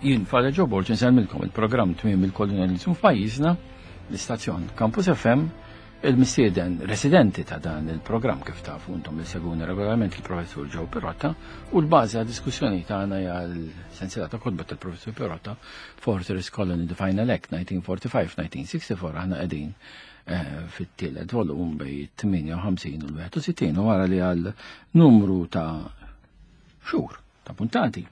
Jien Father Joe Borg insellmilkom il-programm tmiem il-kolonializmu f'pajjiżna, l-istazzjon Campus FM, il-mistieden residenti ta' dan il-programm kif tafu intom li seguni regolarment il-Professur Joe Pirotta u l-bażi għad diskussjoni tagħna hija l-sensiela ta' kotba tal-Professur Pirotta Fortress Colony The Final Act 1945-1964 aħna qegħdin eh, fit-tielet volum bej 58 u l-61 u wara li għal numru ta' xhur ta' puntati.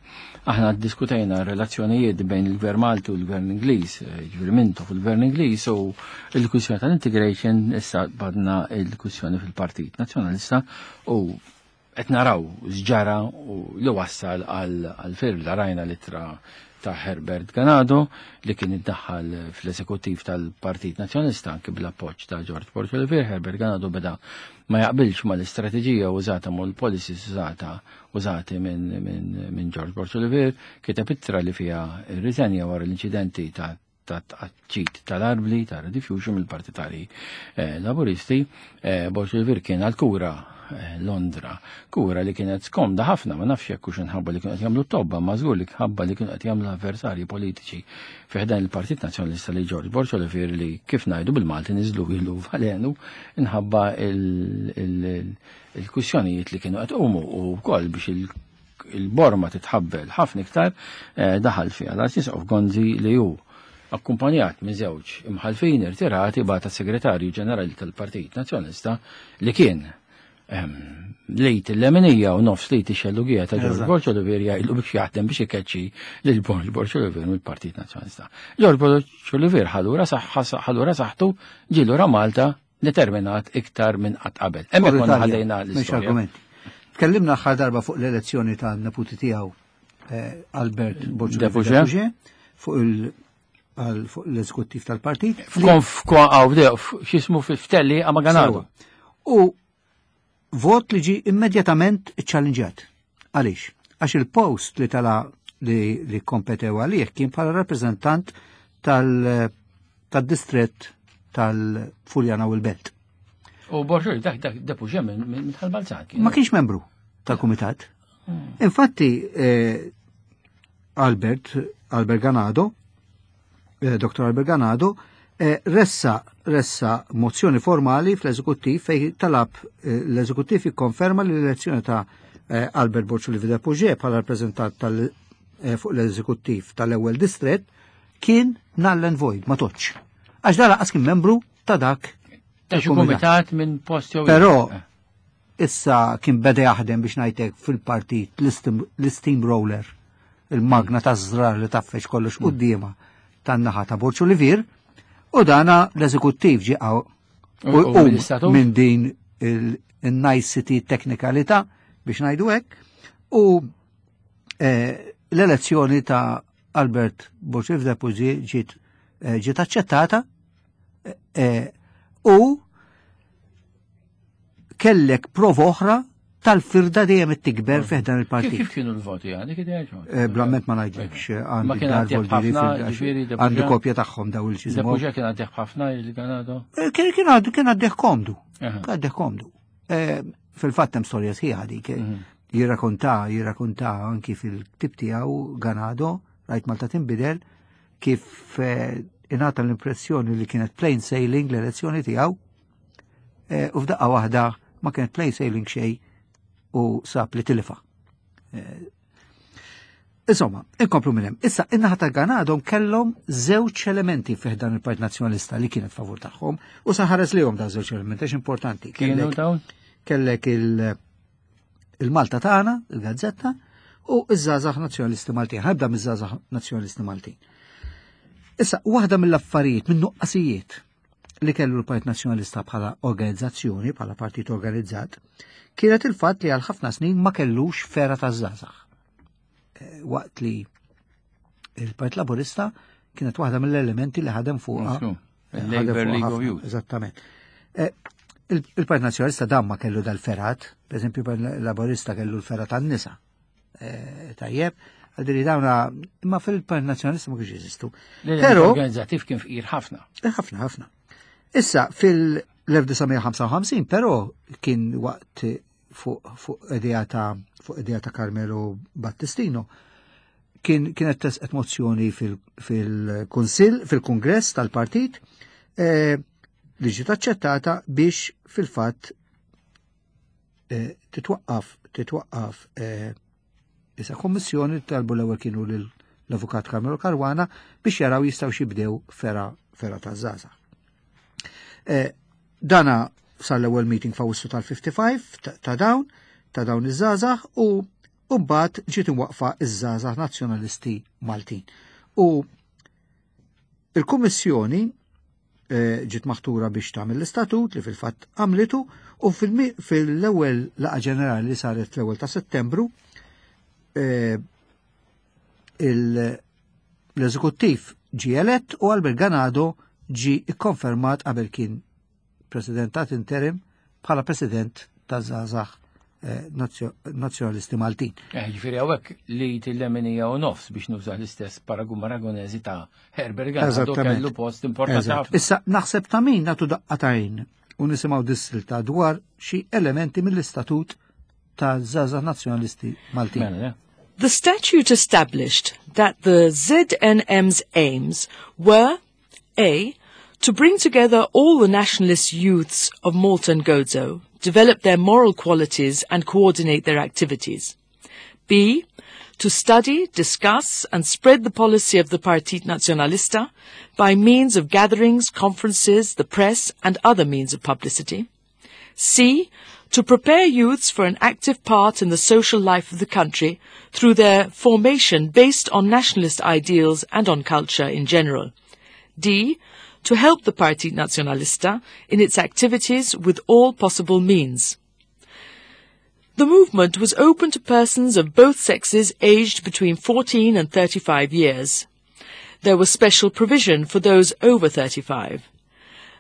Aħna diskutejna relazzjonijiet bejn il-Gvern Malti u l-Gvern Ingliż, eh, ġifieri Mintoff u l-Gvern Ingliż u l-kwistjoni tal-integration issa badna l-kwistjoni fil-Partit Nazzjonalista u qed naraw x'ġara u li wassal għal firda rajna l-ittra ta' Herbert Ganado li kien iddaħħal fl-eżekuttiv tal-Partit Nazzjonalista anki bl-appoġġ ta' George Borg Olivier. Herbert Ganado beda ma jaqbilx mal-istrateġija użata mal policies użata użati minn min, min George Borg Olivier, kiteb ittra li fiha rriżenja wara l-inċidenti ta' ta' tqaċċit tal-arbli ta' rediffusion mill-partitari eh, laburisti, eh, Borg Olivier kien għal-kura eh, Londra, kura li kienet skomda ħafna, ma nafx jekk hux inħabba li kienu qed jagħmlu tobba, ma żgur li ħabba li kienu qed jagħmlu avversarji politiċi fi ħdan il-Partit Nazzjonalista li George Borg Olivier li kif ngħidu bil-Malti niżlu ilu valenu inħabba il-kwistjonijiet li kienu qed umu u wkoll biex il-borma titħabbel ħafna iktar eh, daħal fiha l-Arċisqof Gonzi li hu akkumpanjat minn żewġ imħalfin irtirati bata segretarju ġenerali tal-Partit Nazzjonalista li kien ehm, lejt il-leminija u nofs lejt ix-xellugija ta' George Borg Olivier jgħidlu biex jaħdem biex ikeċċi lil Borg Borg Olivier mill-Partit Nazzjonalista. George Borg Olivier ħalura ħalura saħħtu ġielura Malta determinat iktar minn qatt qabel. Hemmhekk konna ħallejna l-istorja. Tkellimna aħħar darba fuq l-elezzjoni ta' neputi tiegħu eh, Albert Borg fuq il fuq l-eżekuttiv tal-partit. F'konf x'ismu f'telli għamaganadu. U vot li ġi immedjatament ċallinġat. Għaliex? Għax il-post li tala li, li kompetew għalih kien bħala rappreżentant tal-distret tal-Furjana u l-Belt. U Borġuri, dak dak depuġe minn tal-Balzan. Ma kienx membru tal-kumitat. Hmm. Infatti, eh, Albert, Albert Ganado, eh, Dr. Albert Ganado, eh, ressa, ressa mozzjoni formali fl-eżekuttiv fej talab eh, l-eżekuttiv ikkonferma li l-elezzjoni ta' Albert Borċuli Vida Puġe bħala rappreżentant tal fuq l-eżekuttiv tal-ewwel distret kien null and void, ma toċ. Għax dara qas kien membru ta' dak. Ta' xi kumitat minn post jew Però issa kien beda jaħdem biex ngħidlek fil-partit l-steam roller, il-magna ta' żrar li taffex kollox mm. quddiema tan-naħa ta' Borċu Olivier, u dana l-eżekuttiv ġi u minn din il-nicety teknikalità biex ngħidu hekk, u eh, l-elezzjoni ta' Albert Borċu Depuzi ġiet eh, ġiet aċċettata eh, u kellek prova oħra tal-firda dejjem tikber fih dan il-partit. Kif kienu l-voti għandi kif eh, Blamment ma ngħidlekx eh, għandi dar għandi kopja tagħhom daw il-ċiżmu. Depuġa kien għaddih ħafna il-Ganado? Eh, kien kien kien għaddih komdu. Għaddih komdu. Fil-fatt hemm storja sħiħa dik. Mhm. Jirrakonta, jirrakonta anki fil-ktib tiegħu Ganado, rajt Malta tinbidel, kif ingħata l-impressjoni li kienet plain sailing l-elezzjoni tiegħu Eh, u f'daqqa waħda ma kienet play sailing xej u sab li tilifa. Eh, insomma, inkomplu minn hemm. Issa, in-naħa ta' Ganadhom kellhom żewġ elementi fih dan il-Partit Nazzjonalista li kienet favur tagħhom u saħares lihom dan żewġ elementi għax importanti. Kienu dawn? Kellek il- il-Malta tagħna, il-Gazzetta, u iż-żgħażagħ Nazzjonalisti Maltin. Ħabda miż-żgħażagħ Nazzjonalisti Maltin. Issa, waħda mill-affarijiet, minn nuqqasijiet li kellu l-Partit Nazzjonalista bħala organizzazzjoni, bħala partit organizzat, kienet il-fatt li għal ħafna snin ma kellux fera ta' żgħażagħ. Eh, waqt li il-Partit Laburista kienet waħda mill-elementi li ħadem fuqha. Labor League of Youth. Eżattament. Eh, il-Partit Nazzjonalista dan ma kellu dal-ferat, per eżempju, il-Partit Laburista kellu l-ferat tan-nisa. Eh, tajjeb, għadri dawna, imma fil-Partit Nazzjonalista ma kienx jeżistu. Però organizzattiv kien fqir ħafna. Eh, ħafna, ħafna. Issa fil-1955 però kien waqt fuq idea ta' fuq idea ta' Carmelo Battistino. Kien kienet tesqet mozzjoni fil-Kunsill, fil-Kungress tal-Partit eh, li ġiet aċċettata biex fil-fatt eh, titwaqqaf titwaqqaf eh, issa kommissjoni talbu l-ewwel kienu l-Avukat Carmelo Caruana biex jaraw jistgħu xibdew fera fera ta' żgħażagħ. Eh, dana sar l-ewwel meeting f'Awwissu tal-55 ta' dawn ta' dawn iż-żgħażagħ u mbagħad ġiet imwaqqfa iż-żgħażagħ Nazzjonalisti Maltin. U il-Kummissjoni eh, ġiet maħtura biex tagħmel l-istatut li fil-fatt għamlitu u fil-ewwel laqgħa ġenerali li saret fl-ewwel ta' Settembru eh, l-eżekuttiv ġie elett u Albert Ganado ġie ikkonfermat qabel kien presidentat interim bħala president ta' Zazax eh, Nazzjonalisti Maltin. Eh, ġifieri hawnhekk li tilleminija u nofs biex nuża l-istess paragun Maragonesi ta' Herbert Ganado kellu post importanti ħafna. Issa naħseb ta' min nagħtu daqqa ta' u nisimgħu dissilta dwar xi elementi mill-istatut ta' Zaza Nazzjonalisti Maltin. Mela, The statute established that the ZNM's aims were A. To bring together all the nationalist youths of Malta and Gozo, develop their moral qualities and coordinate their activities. B. To study, discuss and spread the policy of the Partit Nacionalista by means of gatherings, conferences, the press and other means of publicity. C. To prepare youths for an active part in the social life of the country through their formation based on nationalist ideals and on culture in general. D. To help the Partit Nacionalista in its activities with all possible means. The movement was open to persons of both sexes aged between 14 and 35 years. There was special provision for those over 35.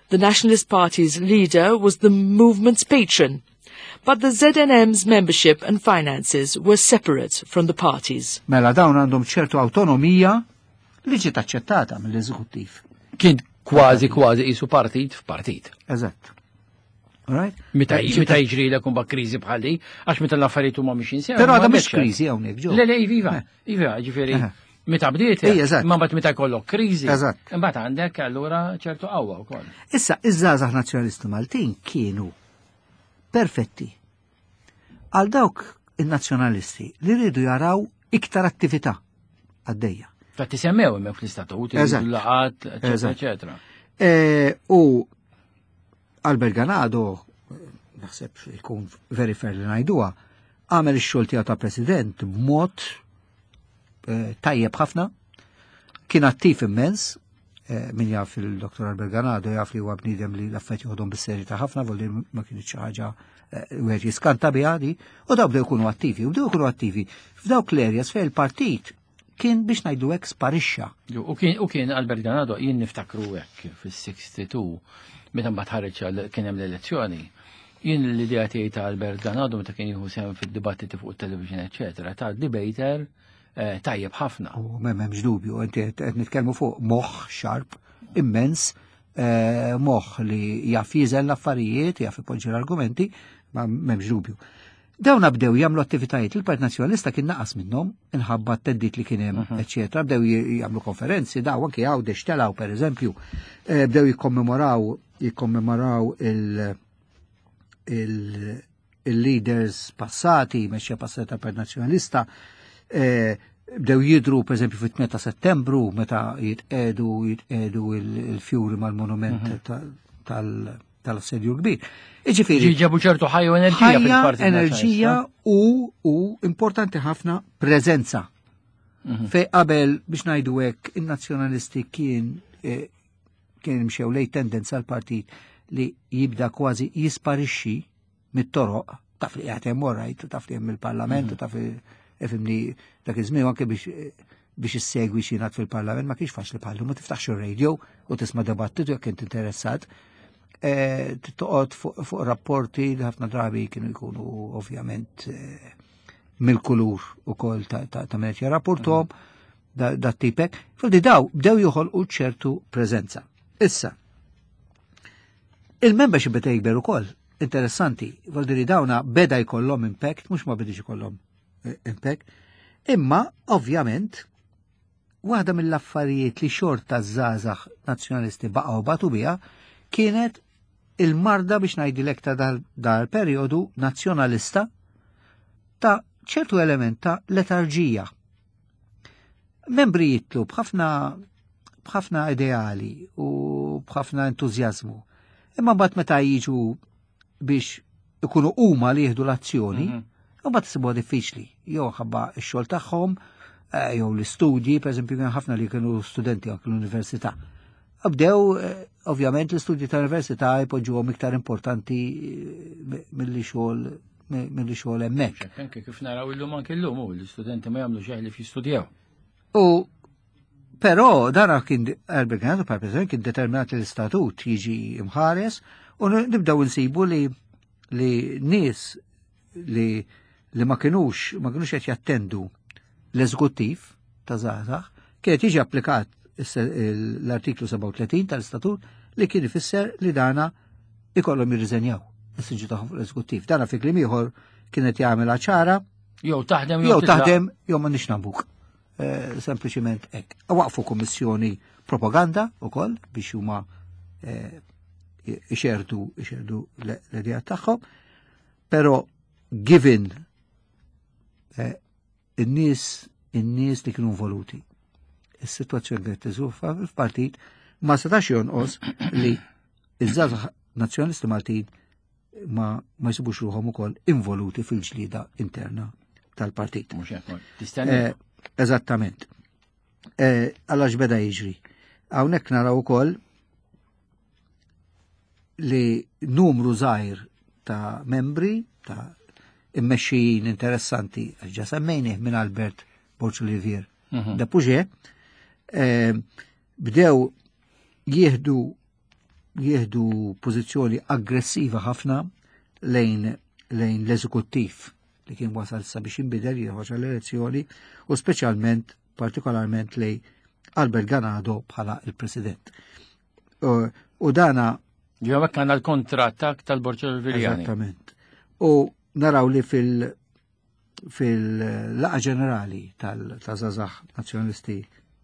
The Nationalist Party's leader was the movement's patron, but the ZNM's membership and finances were separate from the party's. Mela dawn għandhom ċertu autonomija li ġiet aċċettata mill-eżekuttiv. Kien kważi kważi qisu partit f'partit. Eżatt. Right? Meta eh, meta jiġri l kumba kriżi bħal di, għax meta l-affarijiet huma mhix insew. Però għadha mhix kriżi hawnhekk ġew. Le le iva, eh. iva, ġifieri. Eh. Meta bdiet, ma mbagħad meta jkollok kriżi. Eżatt. Imbagħad għandek allura ċertu qawwa wkoll. Issa iż-żgħażagħ nazzjonalisti Maltin kienu perfetti għal dawk in-nazzjonalisti li rridu jaraw iktar attività għaddejja. Ta' tisemmew hemmhekk fl-istatut, il-laqat, eċetera, eċetera. E, u Albert Ganado, naħseb ikun very fair li ngħiduha, għamel ix-xogħol tiegħu ta' president b'mod eh, tajjeb ħafna, kien attiv immens, eh, min jaf il-Dr. Albert Ganado jaf li huwa bniedem li l-affett joħodhom bis-serjetà ħafna, volli ma kienx xi ħaġa eh, wieħed jiskanta biha di, u daw bdew ikunu attivi, u bdew ikunu attivi f'dawk l-areas fejn il-partit kien biex ngħidu hekk sparixxa. U kien u kien Albert Ganado jien niftakru hekk fis-62 meta mbagħad ħareġ kien hemm l-elezzjoni. Jien l-idea tiegħi ta' Albert Ganado meta kien jieħu sehem fid-dibattiti fuq it-television eċetera, ta' debater eh, tajjeb ħafna. U m'hemmx dubju, inti qed nitkellmu fuq moħħ xarp immens, eh, moħħ li jaf jiżel l-affarijiet, jaf ipoġġi l-argumenti, ma m'hemmx dubju. Dawn bdew jagħmlu attivitajiet il-Partit Nazzjonalista kien naqas minnhom inħabba t-teddit li kien hemm, mhm. eċetera, bdew jagħmlu konferenzi, daw anke Għawdex telgħu pereżempju, eh, bdew jikkommemoraw jikkommemoraw il-leaders passati, mexxija passati tal-Partit Nazzjonalista, eh, bdew jidru per eżempju fit-8 ta' settembru meta jitqedu jitqedu il-fjuri mal-monument mhm. tal- tal-assedju kbir. Iġifieri. Ġabu ċertu ħajja u enerġija. Ħajja, enerġija u, u importanti ħafna preżenza. Mhm. Fej qabel biex ngħidu hekk in-nazzjonalisti kien eh, kien mxew lej tendenza l-partit li jibda kważi jisparixxi mit-toroq, taf li qiegħed hemm orajt, taf li hemm il-parlament, mhm. taf li ifimni dak iż-żmien anke biex biex issegwi xi fil-parlament ma kienx faċli bħallu ma tiftaħx ir-radio u tisma' dibattitu jekk int interessat. E, toqgħod fuq rapporti li ħafna drabi kienu jkunu ovvjament e, mill-kulur ukoll ta' min qed jirrapportom mhm. da tipek. Fuldi daw bdew joħolqu ċertu preżenza. Issa, il-membership beda jikber ukoll, interessanti, voldiri dawna beda jkollhom impact, mhux ma bedix ikollhom eh, impact, imma ovvjament Waħda mill-affarijiet li xorta żgħażagħ nazzjonalisti baqgħu batu biha kienet il-marda biex ngħidilek ta' dal-perjodu nazzjonalista ta' ċertu element ta' letarġija. Membri jitlu b'ħafna b'ħafna ideali u b'ħafna entużjażmu. Imma mbagħad meta jiġu biex ikunu huma li jieħdu l-azzjoni, mm -hmm. mbagħad isibuha diffiċli. Jew ħabba x-xogħol tagħhom, eh, jew l-istudji, pereżempju kien ħafna li kienu studenti anke l-università. Bdew, eh, ovvjament, l-istudji tal-università jpoġġuhom iktar importanti eh, milli xogħol milli xogħol hemmhekk. Anke kif naraw illum anke illum u l-istudenti ma jagħmlu xejn li jistudjaw. U però dara kien Albert Ganado pa' president kien determinat li l-istatut jiġi imħares u nibdew insibu li li nies li li ma kinux ma kinux qed jattendu l-eżekuttiv ta' żgħażagħ kienet jiġi applikat l-artiklu 37 tal-istatut li kien ifisser li dana ikollhom jirriżenjaw is-siġġu tagħhom fuq l-eżekuttiv. Dana fi kliem ieħor kienet jagħmilha ċara. Jew taħdem jew taħdem jew ma nix nambuk. Eh, sempliċiment hekk. Waqfu kummissjoni propaganda ukoll biex huma eh, ixerdu ixerdu l-idea tagħhom, però given eh, in-nies in-nies li kienu involuti. Is-sitwazzjoni kienet tiżuffa fil-partit ma setax jonqos li iż-żgħażagħ nazzjonalisti Maltin ma ma jsibux ruħhom ukoll involuti fil-ġlieda interna tal-partit. Eh, eżattament. Eh, Alla x'beda jiġri. Hawnhekk naraw ukoll li numru żgħir ta' membri ta' immexxijin interessanti għax ġa semmejnih minn Albert Borg Olivier mm -hmm. de Puget, eh, bdew jieħdu jieħdu pożizzjoni aggressiva ħafna lejn lejn l-eżekuttiv li kien wasal sabiex jinbidel jieħoġ għall-elezzjoni u speċjalment partikolarment lej Albert Ganado bħala il-President. U dana Jew hekk għandna l-kontrattak tal-Borġo Viljani. Eżattament. U naraw li fil- fil-laqa ġenerali tal-żazax nazzjonalisti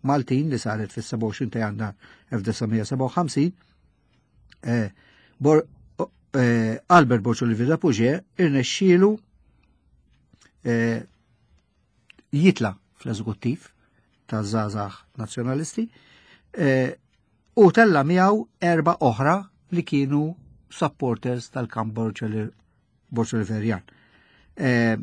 Maltin li saret fis-27 ta' Jannar 1957, eh, eh, Albert Borċu li Villa Puġe irnexxielu eh, jitla fl-eżekuttiv ta' żazax nazzjonalisti u tella miegħu erba' oħra li kienu supporters tal-kamp Borġ Oliverjan. Eh,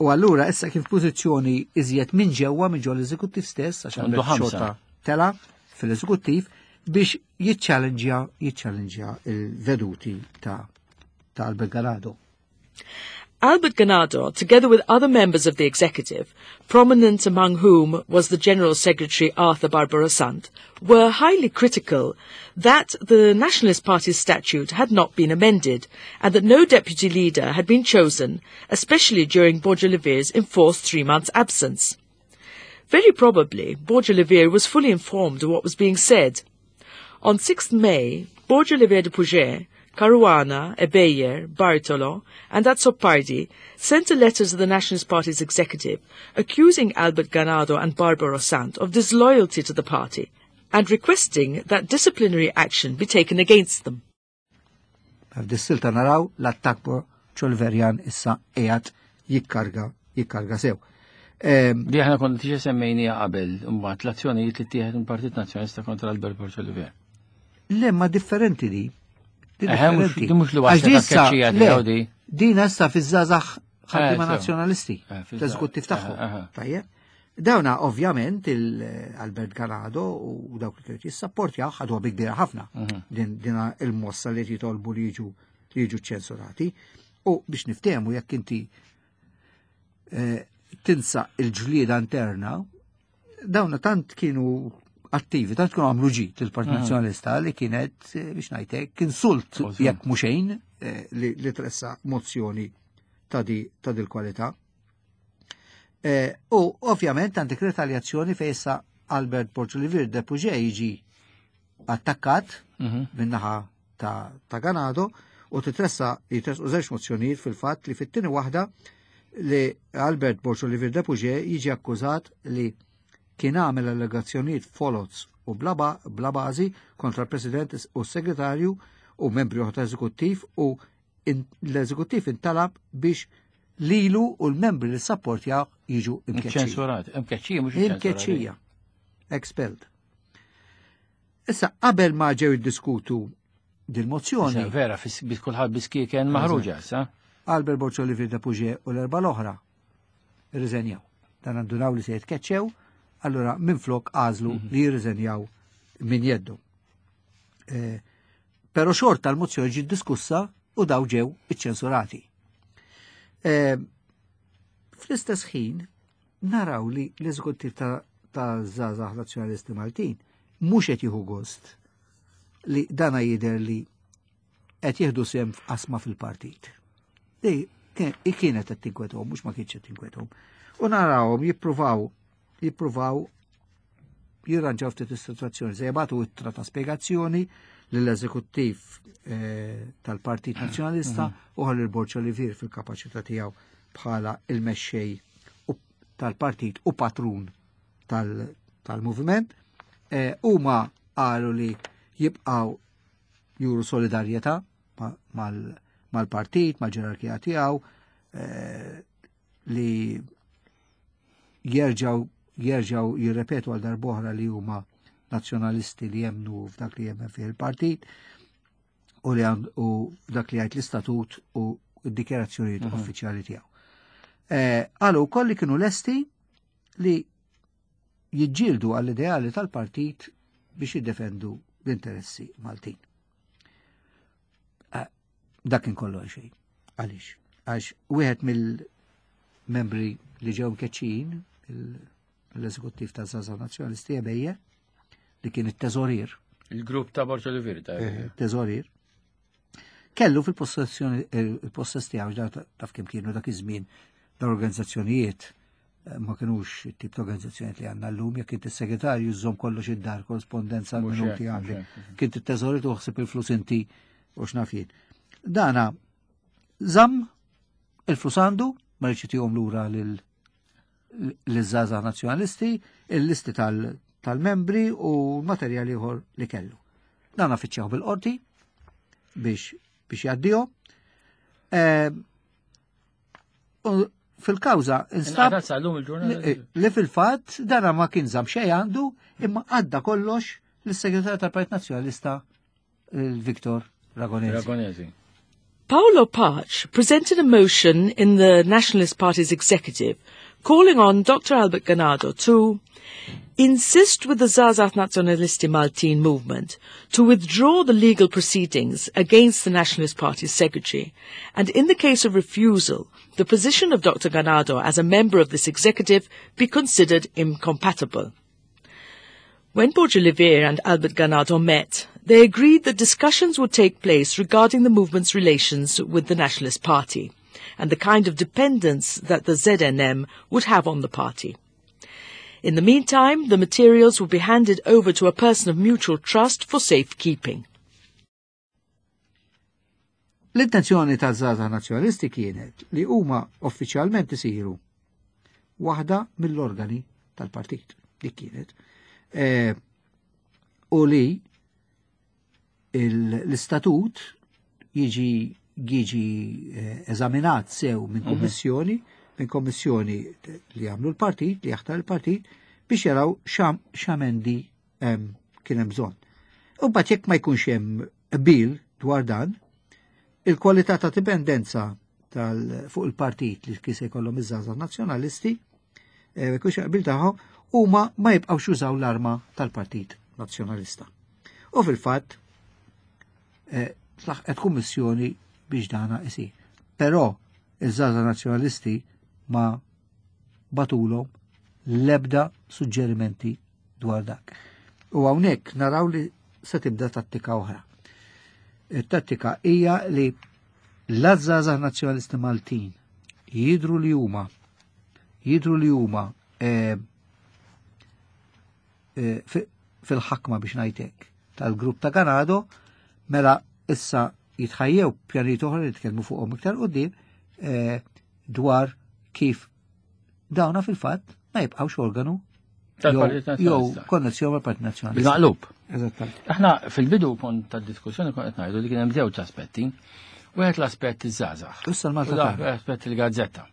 u allura issa kif pożizzjoni iżjed minn ġewwa minn ġol eżekuttiv stess għax għandu xorta tela fil-eżekuttiv biex jiċċallenġja jiċċallenġja il-veduti ta' ta' Albert Ganado. Albert Ganado, together with other members of the executive, prominent among whom was the General Secretary Arthur Barbara Sant, were highly critical that the Nationalist Party's statute had not been amended and that no deputy leader had been chosen, especially during Borja enforced three months' absence. Very probably, Borja was fully informed of what was being said. On 6th May, Borg Olivier de Puget, Caruana, Ebeyer, Bartolo, and Azzopardi sent a letter to the Nationalist Party's executive accusing Albert Ganado and Barbara Sant of disloyalty to the party and requesting that disciplinary action be taken against them. F'dis-silta naraw l-attakk ċolverjan issa qiegħed jikkarga jikkarga sew. Ehm, Li aħna konna tiġi semmejnija qabel, mbagħad l-azzjonijiet li tieħed mill-Partit Nazzjonalista kontra Albert Borg Olivier. Le, ma differenti di. Di differenti. Di mhux li waslet tkeċċija tiegħu di. Din issa fiż-żgħażagħ ħaddiema eh, nazzjonalisti, eh, l-eżekuttiv tagħhom. Eh, Tajjeb. Dawna ovvjament il-Albert Ganado u dawk li kienu jissapportjaw ħadu bi kbira ħafna mhm. din dina il-mossa li jitolbu li jiġu li jiġu ċensurati. U biex niftehmu jekk inti eh, tinsa il-ġlieda interna, dawna tant kienu attivi, tant kienu għamlu ġid il-Partit mhm. Nazzjonalista li kienet eh, biex ngħidlek kien sult jekk mhux xejn eh, li tressa mozzjoni ta' di ta' dil-kwalità. Eh, u ovvjament għandek retaljazzjoni fejn issa Albert Borġ de Puget jiġi attakkat mhm. min-naħa ta', ta Ganado u titressa jitresqu żewġ mozzjonijiet fil-fatt li fit-tieni waħda li Albert Borġ Olivier de Puget jiġi akkużat li kien għamel allegazzjonijiet foloz u bla bażi kontra l-President u s-Segretarju u membri oħra eżekuttiv u l-eżekuttiv intalab biex lilu u l-membri li sapportjaw jiġu imkeċċija. Ċensurat, imkeċċija mhux Imkeċċija. Expelled. Issa qabel ma ġew iddiskutu dil-mozzjoni. Vera, bis kulħadd biskieken maħruġa, sa? Albert Borg Olivier de Puget u l-erba' l-oħra irriżenjaw. Dan għandunaw li se jitkeċċew, allura minflok għażlu mhm. li jirriżenjaw minn jeddu. Eh, pero xorta l-mozzjoni ġiet diskussa u daw ġew iċċensurati. Eh, fl-istess ħin naraw li l-eżekuttiv ta' ta' żgħażagħ Nazzjonalisti Maltin mhux qed jieħu gost li dana jidher li qed jieħdu sehem f'qasma fil-partit. Li kienet qed tinkwetahom, mhux ma kienx qed tinkwetahom. U narawhom jippruvaw jippruvaw jirranġaw ftit is-sitwazzjoni. Se jibgħatu ittra ta' spjegazzjoni lill-eżekuttiv eh, tal-Partit Nazzjonalista mhm. u ħalli l-Borċ Olivier fil-kapaċità tiegħu bħala il-mexxej tal-partit u patrun tal-moviment. Eh, huma qalu li jibqgħu juru solidarjetà mal-partit, mal-ġerarkija tiegħu, eh, li jerġgħu jerġgħu jirrepetu għal darbohra li huma nazzjonalisti li jemnu f'dak li jemmen fih il-partit u li u f'dak li jgħid l-istatut u d-dikjarazzjonijiet mhm. uffiċjali tiegħu. Eh, qalu wkoll li kienu lesti li jiġġieldu għall-ideali tal-partit biex jiddefendu l-interessi Maltin. Eh, dak kien kollu xejn. Għaliex? Għax wieħed mill-membri li ġew mkeċċin l-eżekuttiv ta' Zaza Nazzjonalisti Ebejje li kien it-teżorir. Il-grupp ta' Borġ Olivier ta' eh, teżorir. Kellu fil-possessjoni il-possess tiegħu taf kemm kienu dak iż-żmien l-organizzazzjonijiet eh, ma kienux tip ta' organizzazzjonijiet li għandna llum, jekk inti segretarju żżomm kollox id-dar, korrespondenza minuti għandek. Kien it-teżori tuħsib il-flus inti u x'naf jien. Dana żamm il-flus għandu, ma rridx tihom lura lil l-żgħażagħ nazzjonalisti, il-listi tal-membri u materjal ieħor li kellu. Dan affiċċjaw bil-qorti biex biex jgħaddihom. Eh, fil-kawża instab li fil-fatt dana ma kien żamm xejn għandu imma għadda kollox lis-segretarju tal-Partit Nazzjonalista Victor Ragonesi. Ragonesi. Paolo Pace presented a motion in the Nationalist Party's executive calling on Dr. Albert Ganado to insist with the Żgħażagħ Nazzjonalisti Maltin movement to withdraw the legal proceedings against the Nationalist Party's secretary, and in the case of refusal, the position of Dr. Ganado as a member of this executive be considered incompatible. When Borg Olivier and Albert Ganado met, they agreed that discussions would take place regarding the movement's relations with the Nationalist Party and the kind of dependence that the ZNM would have on the party. In the meantime, the materials would be handed over to a person of mutual trust for safekeeping. L-intenzjoni ta' Żgħażagħ Nazzjonalisti kienet li huma uffiċjalment isiru waħda mill-organi tal-partit. Dik kienet. E, u li l-istatut jiġi jiġi eh, eżaminat sew minn mhm. kommissjoni, minn kommissjoni li għamlu l-partit, li jaħtar il-partit, biex jaraw xamendi kien hemm bżonn. U mbagħad jekk ma jkunx hemm qbil dwar dan, il-kwalità ta' dipendenza tal fuq il-partit li kien se jkollhom iż-żgħażagħ nazzjonalisti, eh, jkunx qbil tagħhom, huma ma jibqgħux jużaw l-arma tal-Partit Nazzjonalista. U fil-fatt eh, tlaħqet kummissjoni biex dana isir. Però iż-żgħażagħ nazzjonalisti ma batulhom l-ebda suġġerimenti dwar dak. U hawnhekk naraw li se tibda tattika oħra. Il-tattika hija li l-żgħażagħ nazzjonalisti Maltin jidru li huma jidru li huma eh, eh, fil-ħakma biex ngħidlek tal-grupp ta' Ganado mela issa jitħajjew pjanijiet oħra li tkellmu fuqhom iktar qudiem eh, dwar kif dawna fil-fatt ma jibqgħux organu Jew konnessjoni mal-Partit Nazzjonalista. Bil-maqlub. Eżattament. Aħna fil-bidu kont tad-diskussjoni kont qed ngħidu li kien hemm żewġ aspetti. Wieħed l-aspett iż-żgħażagħ. Issa l-Malta tagħna. L-aspett il-gazzetta.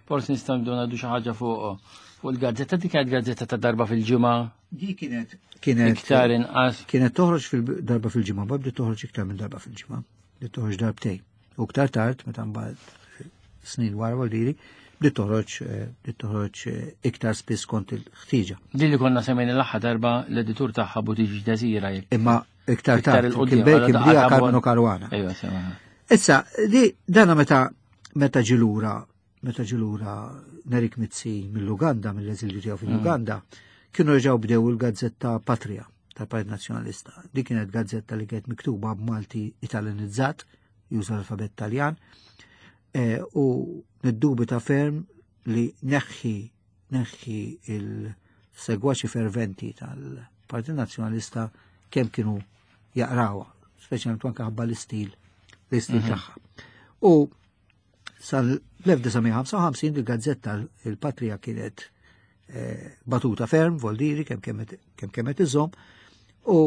Forsi nistgħu nibdew ngħidu xi ħaġa fuq fuq il-gazzetta dik kienet gazzetta ta' darba fil-ġimgħa. Di kienet kienet iktar inqas. Kienet toħroġ fil-darba fil-ġimgħa, ma bdiet toħroġ iktar minn darba fil-ġimgħa. Bdiet toħroġ darbtejn. U iktar tard meta mbagħad snin wara voldiri, bdiet toħroġ eh, bdiet toħroġ eh, iktar spiss kont il-ħtieġa. Din li konna semmejna l-aħħar darba l-editur tagħha Butiġi Desira jekk. Imma iktar tard kien kien bdieha Carmelo Caruana. Ejwa, sema. Issa, di dana meta meta ġilura meta ġilura Nerik Mizzi mill-Uganda, mill-eżilju tiegħu fil-Uganda, kienu reġgħu bdew il-gazzetta Patria tal-Partit Nazzjonalista. Di kienet gazzetta li kienet miktuba b'Malti Italianizzat, juża l-alfabet Taljan, eh, u niddubita ferm li neħħi neħħi il-segwaċi ferventi tal-Partit Nazzjonalista kemm kienu jaqrawha, speċjalment anke ħabba l-istil l-istil mhm. tagħha. U sal-1955 il-gazzetta il-Patria kienet eh, batuta ferm, voldiri, kemm kemm kemm iżomm, u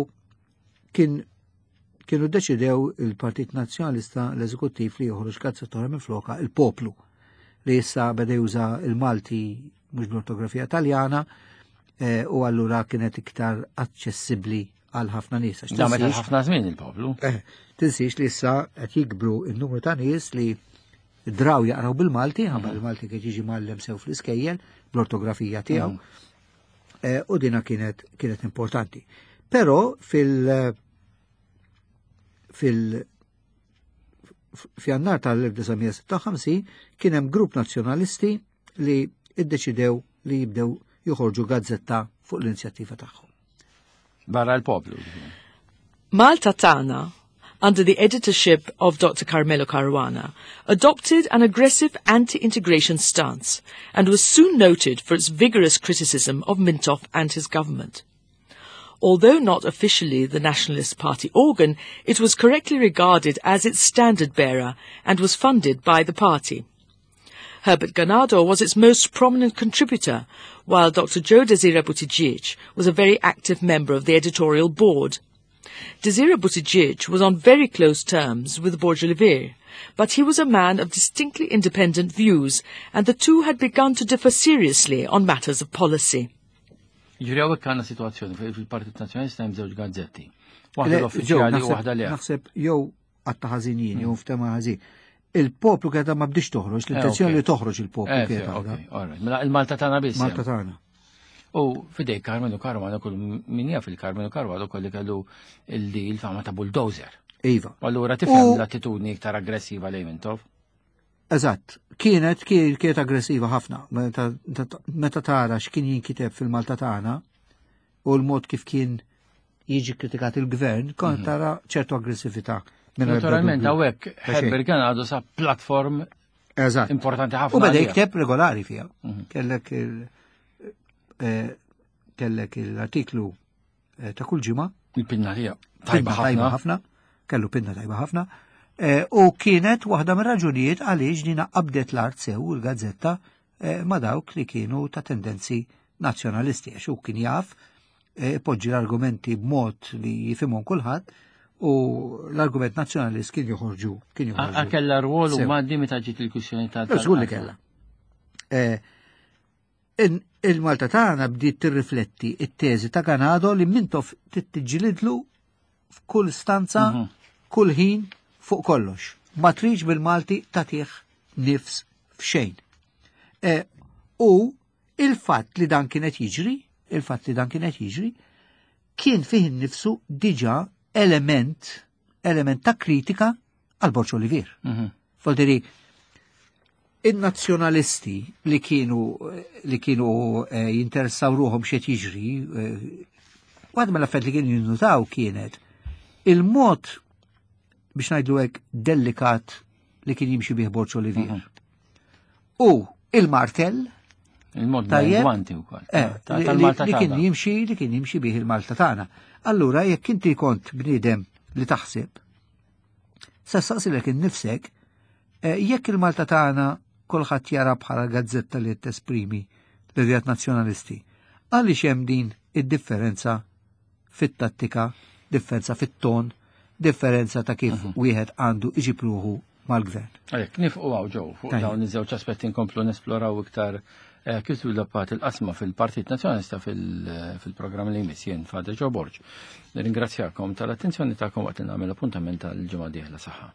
kien kienu ddeċidew il-Partit Nazzjonalista l-Eżekuttiv li joħroġ gazzetta oħra minn floka il-Poplu li issa beda juża il-Malti mhux bl-ortografija Taljana eh, u allura kienet iktar aċċessibbli għal ħafna nies. Damet għal ħafna żmien il-poplu. Eh, tinsiex li issa qed jikbru n-numru ta' nies li draw jaqraw bil-Malti, ħabba mm. il-Malti kien jiġi mgħallem sew fl-iskejjel bl-ortografija tiegħu. Mm. Eh, u dina kienet kienet importanti. Però fil fil f'jannar tal-1956 kien hemm grupp nazzjonalisti li iddeċidew li jibdew joħorġu gazzetta fuq l-inizjattiva tagħhom. Barra l-poplu. Malta Tagħna, under the editorship of Dr. Carmelo Caruana, adopted an aggressive anti-integration stance and was soon noted for its vigorous criticism of Mintoff and his government. Although not officially the Nationalist Party organ, it was correctly regarded as its standard-bearer and was funded by the party. Herbert Ganado was its most prominent contributor, while Dr. Joe Desira Buttigieg was a very active member of the editorial board. Desira Buttigieg was on very close terms with Borg Olivier, but he was a man of distinctly independent views, and the two had begun to differ seriously on matters of policy. Ġifieri hawnhekk għandna sitwazzjoni fejn fil-Partit Nazzjonalista hemm żewġ gazzetti. Waħda l-uffiċjali u waħda le. Naħseb jew għatta ħażin jien jew ftema ħażin. Il-poplu kienet ma bdiex toħroġ, eh, l-intenzjoni li toħroġ il-poplu eh, kienet. Mela il-Malta tagħna biss. Malta tagħna. U fidej Carmenu Caruana kull min jaf il-Carmenu Caruana kolli kellu il-fama ta' bulldozer. Iva. Allura tifhem l-attitudni iktar aggressiva lejn Mintoff. Eżatt, kienet kienet aggressiva ħafna. Meta tara x'kien jinkiteb fil-Malta tagħna u l-mod kif kien jiġi kritikat il-gvern, kont mhm. tara ċertu aggressività. Naturalment, hawnhekk Herbert Ganado sa platform Eżatt. importanti ħafna. U beda jikteb regolari fiha. Mhm. Kellek il eh, kellek l-artiklu eh, ta' kull ġimgħa. Il-pinna tiegħu. Tajba ħafna. ħafna. Kellu pinna tajba ħafna. Eh, u kienet waħda mir-raġunijiet għaliex dina qabdet l-art sew il-gazzetta eh, ma' dawk li kienu ta' tendenzi nazzjonalisti għax hu kien jaf poġġi l-argumenti b'mod li jifhimhom kulħadd u l-argument nazzjonalist kien joħorġu kien joħorġu. Kella rwol u maddi meta ġiet il-kwistjoni ta' Żgur li kellha. Il-Malta tagħna bdiet tirrifletti it-teżi ta' Ganado li Mintoff tittiġġilidlu f'kull stanza, mhm. kull ħin, fuq kollox. Ma tridx bil-Malti tagħtih nifs f'xejn. E, u il-fatt li dan kienet jiġri, il-fatt li dan kienet jiġri, kien fih innifsu diġà element, element ta' kritika għal Borġ Olivier. Mhm. Voldiri, in-nazzjonalisti li kienu li kienu eh, jinteressaw ruħhom x'qed jiġri, eh, waħda mill-affarijiet li kienu jinnutaw kienet il-mod biex ngħidlu hekk delikat li kien jimxi bih Borġ Olivier. Mhm. U il-martell Il-mod gwanti wkoll. Eh, li kien jimxi li kien jimxi bih il-Malta tagħna. Allura jekk inti kont bniedem li taħseb Se saqsilek innifsek eh, jekk il-Malta tagħna kulħadd jara bħala gazzetta li tesprimi l-idejat nazzjonalisti. Għaliex hemm din id-differenza fit-tattika, differenza fit-ton, differenza ta' kif mhm. wieħed għandu iġib ruħu mal-gvern. Għalhekk nifqu għaw ġew fuq dawn iż-żewġ aspetti nkomplu nesploraw iktar eh, kif żviluppat il-qasma fil-Partit Nazzjonalista fil-programm li jmiss jien Father Joe Borg. Nirringrazzjakom tal-attenzjoni tagħkom waqt li nagħmel appuntament tal-ġimgħa dieħla saħħa.